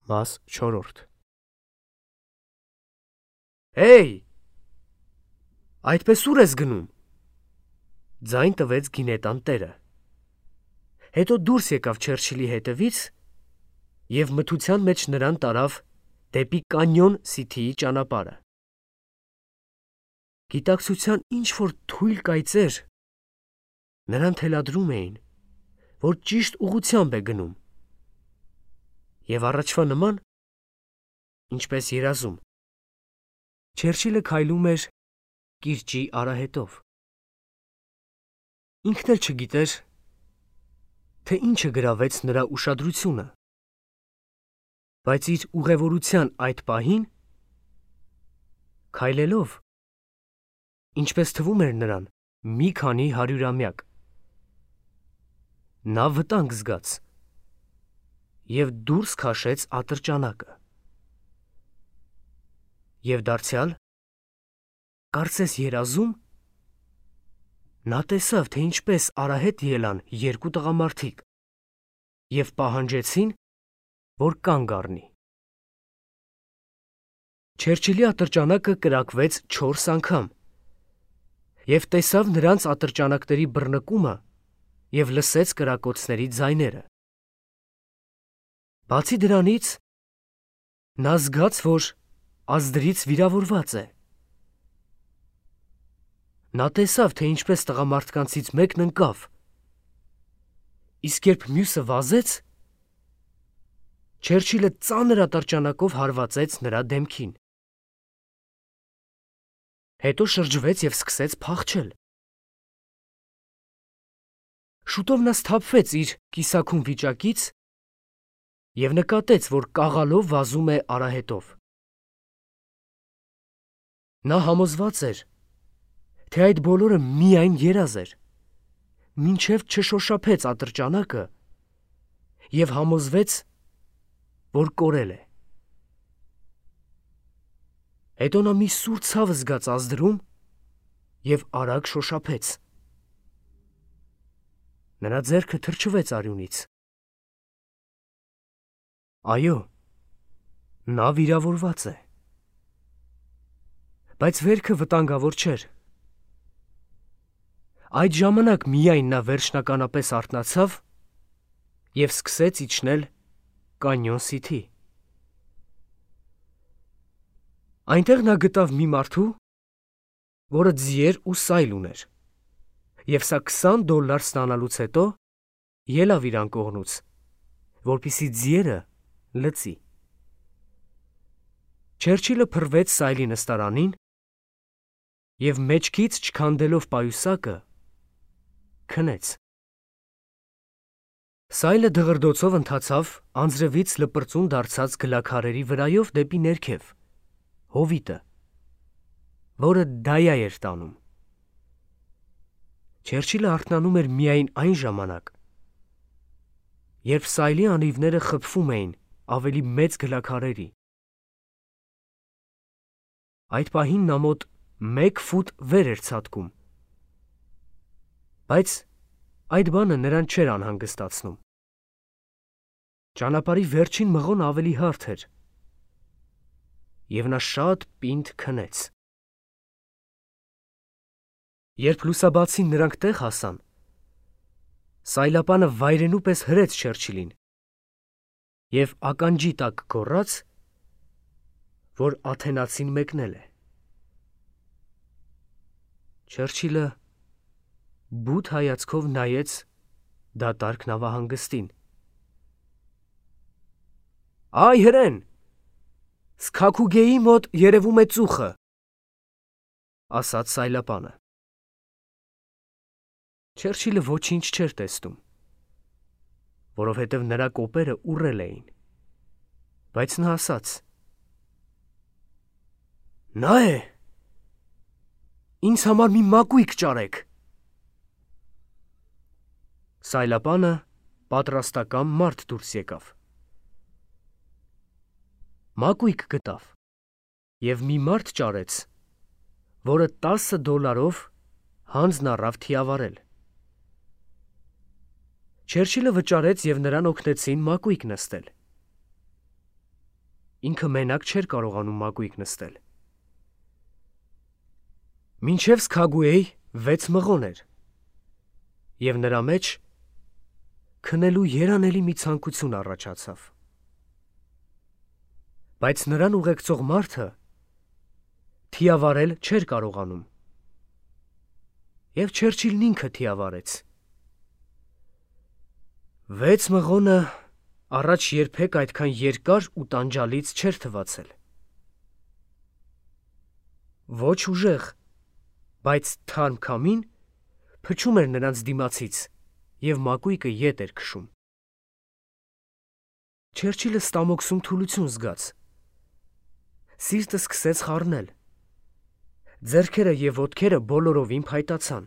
Մաս 4 Հեյ, այդպես ուր ես գնում, ձայն տվեց գինետան տերը, հետո դուրս եկավ Չերչիլի հետևից և մթության մեջ նրան տարավ դեպի Կանյոն Սիթիի ճանապարհը, գիտակցության ինչ-որ թույլ կայծեր նրան թելադրում էին, որ ճիշտ ուղղությամբ է գնում, և առաջվա նման, ինչպես երազում, Չերչիլը քայլում էր կիրճի արահետով, ինքն էլ չգիտեր, թե ինչը գրավեց նրա ուշադրությունը, բայց իր ուղևորության այդ պահին, քայլելով, ինչպես թվում էր նրան, մի քանի հարյուրամյակ, նա վտանգ զգաց և դուրս քաշեց ատրճանակը, և դարձյալ, կարծես երազում, նա տեսավ, թե ինչպես արահետ ելան երկու տղամարդիկ և պահանջեցին, որ կանգ առնի. Չերչիլի ատրճանակը կրակվեց 4 անգամ և տեսավ նրանց ատրճանակների բռնկումը և լսեց կրակոցների ձայները. Բացի դրանից, նա զգաց, որ ազդրից վիրավորված է. նա տեսավ, թե ինչպես տղամարդկանցից մեկն ընկավ, իսկ երբ մյուսը վազեց, Չերչիլը ծանր ատրճանակով հարվածեց նրա դեմքին, հետո շրջվեց և սկսեց փախչել, շուտով նա սթափվեց իր կիսաքուն վիճակից և նկատեց, որ կաղալով վազում է արահետով, նա համոզված էր, թե այդ բոլորը միայն երազ էր, մինչև չշոշափեց ատրճանակը և համոզվեց, որ կորել է, հետո նա մի սուր ցավ զգաց ազդրում և արագ շոշափեց, նրա ձեռքը թրջվեց արյունից, այո, նա վիրավորված է, բայց վերքը վտանգավոր չէր, այդ ժամանակ միայն նա վերջնականապես արթնացավ և սկսեց իջնել Կանյոն Սիթի, այնտեղ նա գտավ մի մարդու, որը ձիեր ու սայլ ուներ, և սա $20 ստանալուց հետո ելավ իր անկողնուց, որպեսզի ձիերը լցի, Չերչիլը փռվեց սայլի նստարանին և մեջքից չքանդելով պայուսակը, քնեց, սայլը դղրդոցով ընթացավ անձրևից լպրծուն դարձած գլաքարերի վրայով դեպի ներքև, հովիտը, որը Դայա էր տանում, Չերչիլը արթնանում էր միայն այն ժամանակ, երբ սայլի անիվները խփվում էին ավելի մեծ գլաքարերի, այդ պահին նա մոտ 1 ֆուտ վեր էր ցատկում, բայց այդ բանը նրան չէր անհանգստացնում, ճանապարհի վերջին մղոնը ավելի հարթ էր, և նա շատ պինդ քնեց, երբ լուսաբացին նրանք տեղ հասան, սայլապանը վայրենու պես հրեց Չերչիլին և ականջի տակ գոռաց, որ աթենացին մեկնել է, Չերչիլը բութ հայացքով նայեց դատարկ նավահանգստին, «Այ հրեն, Սքաքուգեի մոտ երևում է ծուխը», ասաց սայլապանը, Չերչիլը ոչինչ չէր տեսնում, որովհետև նրա կոպերը ուռել էին, բայց նա ասաց. «Նա է, ինձ համար մի մակույկ ճարեք», սայլապանը պատրաստակամ մարդ դուրս եկավ, մակույկ գտավ և մի մարդ ճարեց, որը $10 հանձն առավ թիավարել, Չերչիլը վճարեց և նրան օգնեցին մակույկ նստել, ինքը մենակ չէր կարողանում մակույկ նստել։ Մինչև Սքագուեի 6 մղոն էր, և նրա մեջ քնելու երանելի մի ցանկություն առաջացավ։ Բայց նրան ուղեկցող մարդը թիավարել չէր կարողանում, և Չերչիլն ինքը թիավարեց։ 6 մղոնը առաջ երբեք այդքան երկար ու տանջալից չէր թվացել։ Ոչ ուժեղ, բայց թարմ քամին փչում էր նրանց դիմացից և մակույկը ետ էր քշում։ Չերչիլը ստամոքսում թուլություն զգաց։ Սիրտը սկսեց խառնել։ Ձեռքերը և ոտքերը բոլորովին փայտացան։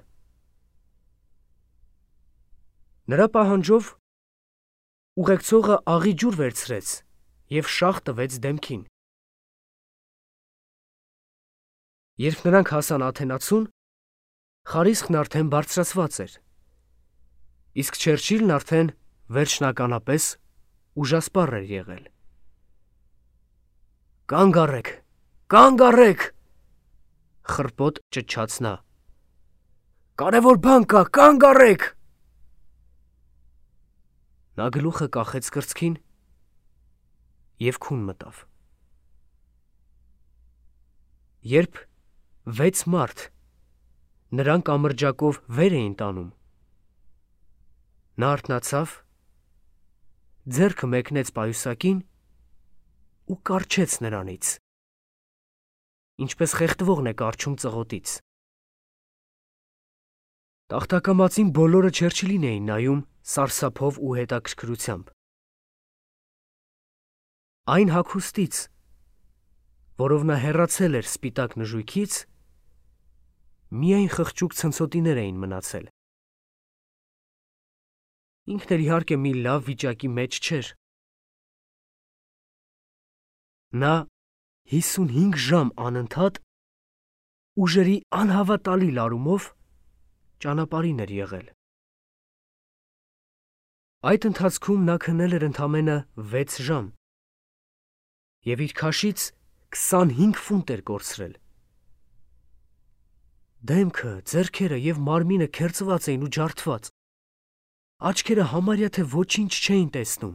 Նրա պահանջով ուղեկցողը աղի ջուր վերցրեց և շաղ տվեց դեմքին։ Երբ նրանք հասան Աթենացուն, խարիսխն արդեն բարձրացված էր, իսկ Չերչիլն արդեն վերջնականապես ուժասպառ էր եղել։ «Կանգ առեք, կանգ առեք», խռպոտ ճչաց նա։ «Կարևոր բան կա, կանգ առեք»։ Նա գլուխը կախեց կրծքին և քուն մտավ։ Երբ 6 մարդ նրան կամրջակով վեր էին տանում, նա արթնացավ, ձեռքը մեկնեց պայուսակին ու կառչեց նրանից, ինչպես խեղդվողն է կառչում ծղոտից։ Տախտակամածին բոլորը Չերչիլին էին նայում սարսափով ու հետաքրքրությամբ։ Այն հագուստից, որով նա հեռացել էր սպիտակ նժույգից, միայն խղճուկ ցնցոտիներ էին մնացել։ Ինքն էլ իհարկե մի լավ վիճակի մեջ չէր։ Նա 55 ժամ անընդհատ ուժերի անհավատալի լարումով ճանապարհին էր եղել։ Այդ ընթացքում նա քնել էր ընդամենը 6 ժամ և իր քաշից 25 ֆունտ էր կորցրել։ Դեմքը, ձեռքերը և մարմինը քերծված էին ու ջարդված, աչքերը համարյա թե ոչինչ չէին տեսնում։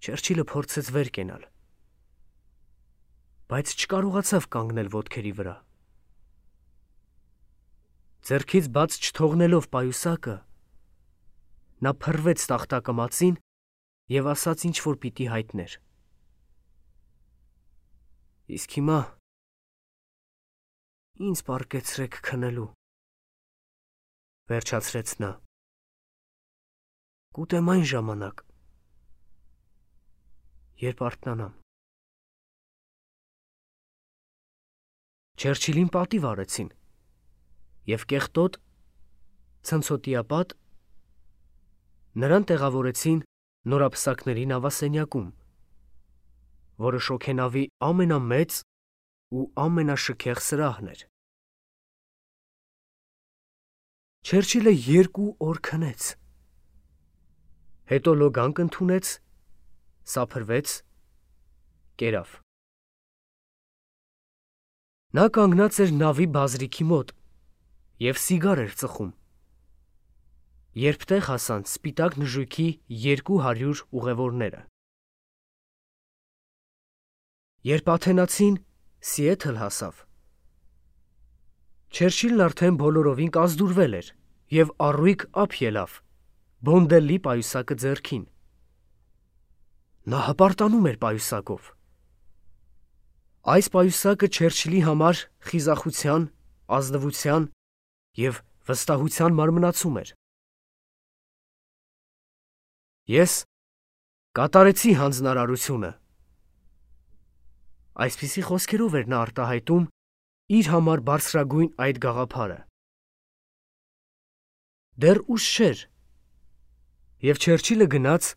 Չերչիլը փորձեց վեր կենալ, բայց չկարողացավ կանգնել ոտքերի վրա։ Ձեռքից բաց չթողնելով պայուսակը, նա փռվեց տախտակամածին և ասաց ինչ-որ պիտի հայտներ։ «Իսկ հիմա ինձ պառկեցրեք քնելու», վերջացրեց նա։ «Կուտեմ այն ժամանակ, երբ արթնանամ»։ Չերչիլին պատիվ արեցին և կեղտոտ, ցնցոտիապատ նրան տեղավորեցին նորապսակների նավասենյակում, որը շոգենավի ամենամեծ ու ամենաշքեղ սրահն էր։ Չերչիլը 2 օր քնեց, հետո լոգանք ընդունեց, սափրվեց, կերավ։ Նա կանգնած էր նավի բազրիքի մոտ և սիգար էր ծխում, երբ տեղ հասան սպիտակ նժույգի 200 ուղևորները։ Երբ աթենացին Սիեթլ հասավ, Չերչիլն արդեն բոլորովին կազդուրվել էր և առույգ ափ ելավ, բոնդելլի պայուսակը ձեռքին։ Նա հպարտանում էր պայուսակով։ Այս պայուսակը Չերչիլի համար խիզախության, ազնվության և վստահության մարմնացում էր։ «Ես կատարեցի հանձնարարությունը», այսպիսի խոսքերով էր նա արտահայտում իր համար բարձրագույն այդ գաղափարը։ Դեռ ուշ չէր, և Չերչիլը գնաց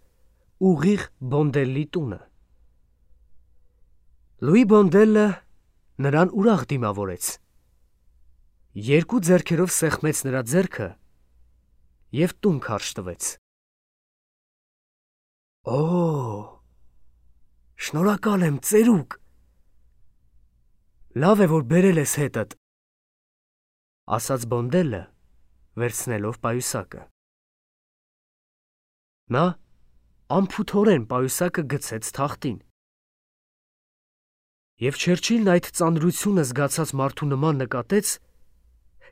ուղիղ Բոնդելլի տունը։ Լուի Բոնդելը նրան ուրախ դիմավորեց, 2 ձեռքերով սեղմեց նրա ձեռքը և տուն քարշ տվեց։ Օ, շնորհակալ եմ, ծերուկ։ Լավ է, որ բերել ես հետդ, ասաց Բոնդելը, վերցնելով պայուսակը։ Նա անփութորեն պայուսակը գցեց թախտին։ Եվ Չերչիլն այդ ծանրությունը զգացած մարդու նման նկատեց,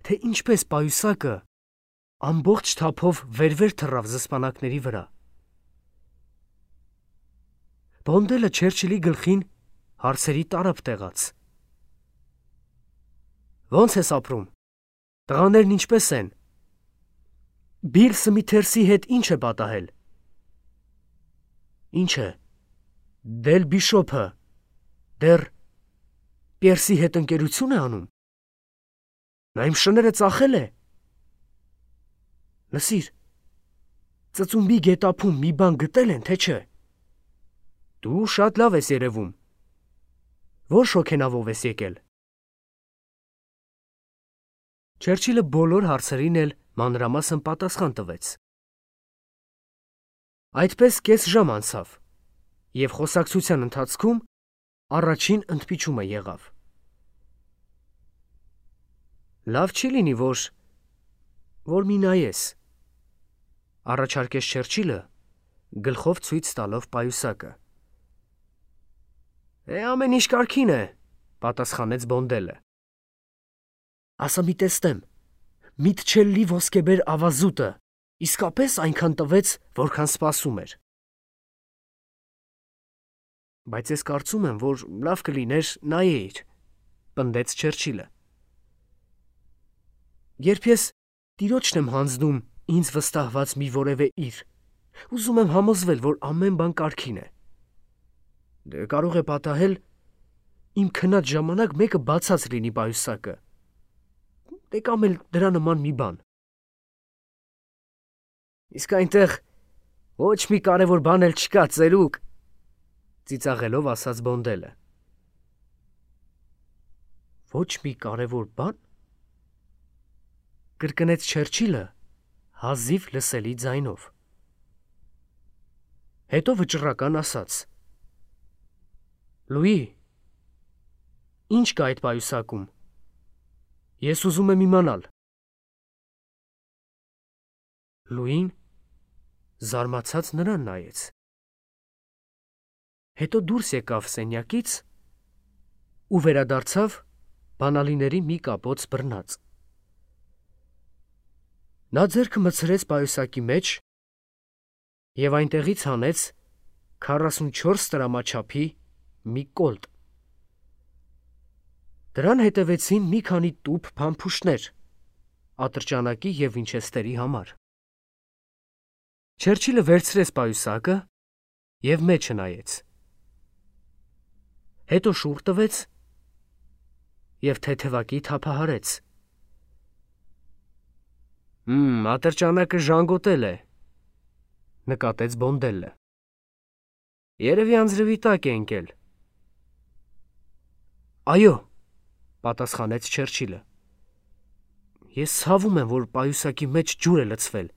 թե ինչպես պայուսակը ամբողջ թափով վեր թռավ զսպանակների վրա։ Բոնդելը Չերչիլի գլխին հարցերի տարափ տեղաց։ Ո՞նց ես ապրում, տղաներն ինչպես են, Բիլ Սմիթերսի հետ ինչ է պատահել։ Ինչ է, Դել Բիշոփը դեռ Պիերսի հետ ընկերություն է անում։ Նա իմ շները ծախել է։ Լսիր, ծծումբի գետափում մի բան գտել են, թե չէ։ Դու շատ լավ ես երևում։ Ո՞ր շոգենավով ես եկել։ Չերչիլը բոլոր հարցերին էլ մանրամասն պատասխան տվեց։ Այդպես կես ժամ անցավ, և խոսակցության ընթացքում առաջին ընդմիջումը եղավ։ Լավ չի լինի, որ մի նայես, առաջարկեց Չերչիլը, գլխով ցույց տալով պայուսակը։ Ամեն ինչ կարգին է, պատասխանեց Բոնդելը։ Ասա մի տեսնեմ, Միթչելլի ոսկեբեր ավազուտը իսկապես այնքան տվեց, որքան սպասում էր։ Բայց ես կարծում եմ, որ լավ կլիներ նայեիր, պնդեց Չերչիլը։ Երբ ես տիրոջն եմ հանձնում ինձ վստահված մի որևէ իր, ուզում եմ համոզվել, որ ամեն բան կարգին է։ Կարող է պատահել իմ քնած ժամանակ մեկը բացած լինի պայուսակը, կամ էլ դրա նման մի բան։ Իսկ այնտեղ ոչ մի կարևոր բան էլ չկա, ծերուկ, ծիծաղելով ասաց Բոնդելը։ Ոչ մի կարևոր բան, կրկնեց Չերչիլը հազիվ լսելի ձայնով։ Հետո վճռական ասաց. Լուի, ինչ կա այդ պայուսակում։ Ես ուզում եմ իմանալ։ Լուին զարմացած նրան նայեց։ Հետո դուրս եկավ սենյակից ու վերադարձավ բանալիների մի կապոց բռնած։ Նա ձեռքը մտցրեց պայուսակի մեջ և այնտեղից հանեց 44 տրամաչափի մի կոլտ։ Դրան հետևեցին մի քանի տուփ փամփուշտներ ատրճանակի և վինչեստերի համար։ Չերչիլը վերցրեց պայուսակը և մեջը նայեց։ Հետո շուռ տվեց և թեթևակի թափահարեց։ Ատրճանակը ժանգոտել է, նկատեց Բոնդելը։ Երևի անձրևի տակ է ընկել։ Այո, պատասխանեց Չերչիլը։ Ես ցավում եմ, որ պայուսակի մեջ ջուր է լցվել։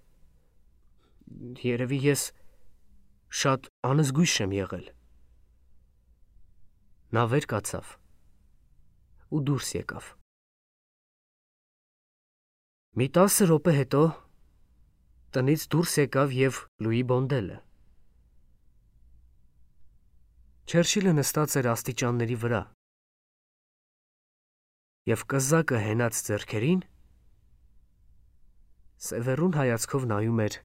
Երևի ես շատ անզգույշ եմ եղել։ Նա վեր կացավ ու դուրս եկավ։ Մի 10 րոպե հետո տնից դուրս եկավ և Լուի Բոնդելը։ Չերչիլը նստած էր աստիճանների վրա և կզակը հենած ձեռքերին սևեռուն հայացքով նայում էր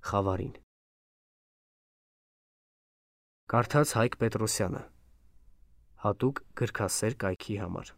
խավարին։ Կարդաց Հայկ Պետրոսյանը, հատուկ գրքասեր կայքի համար։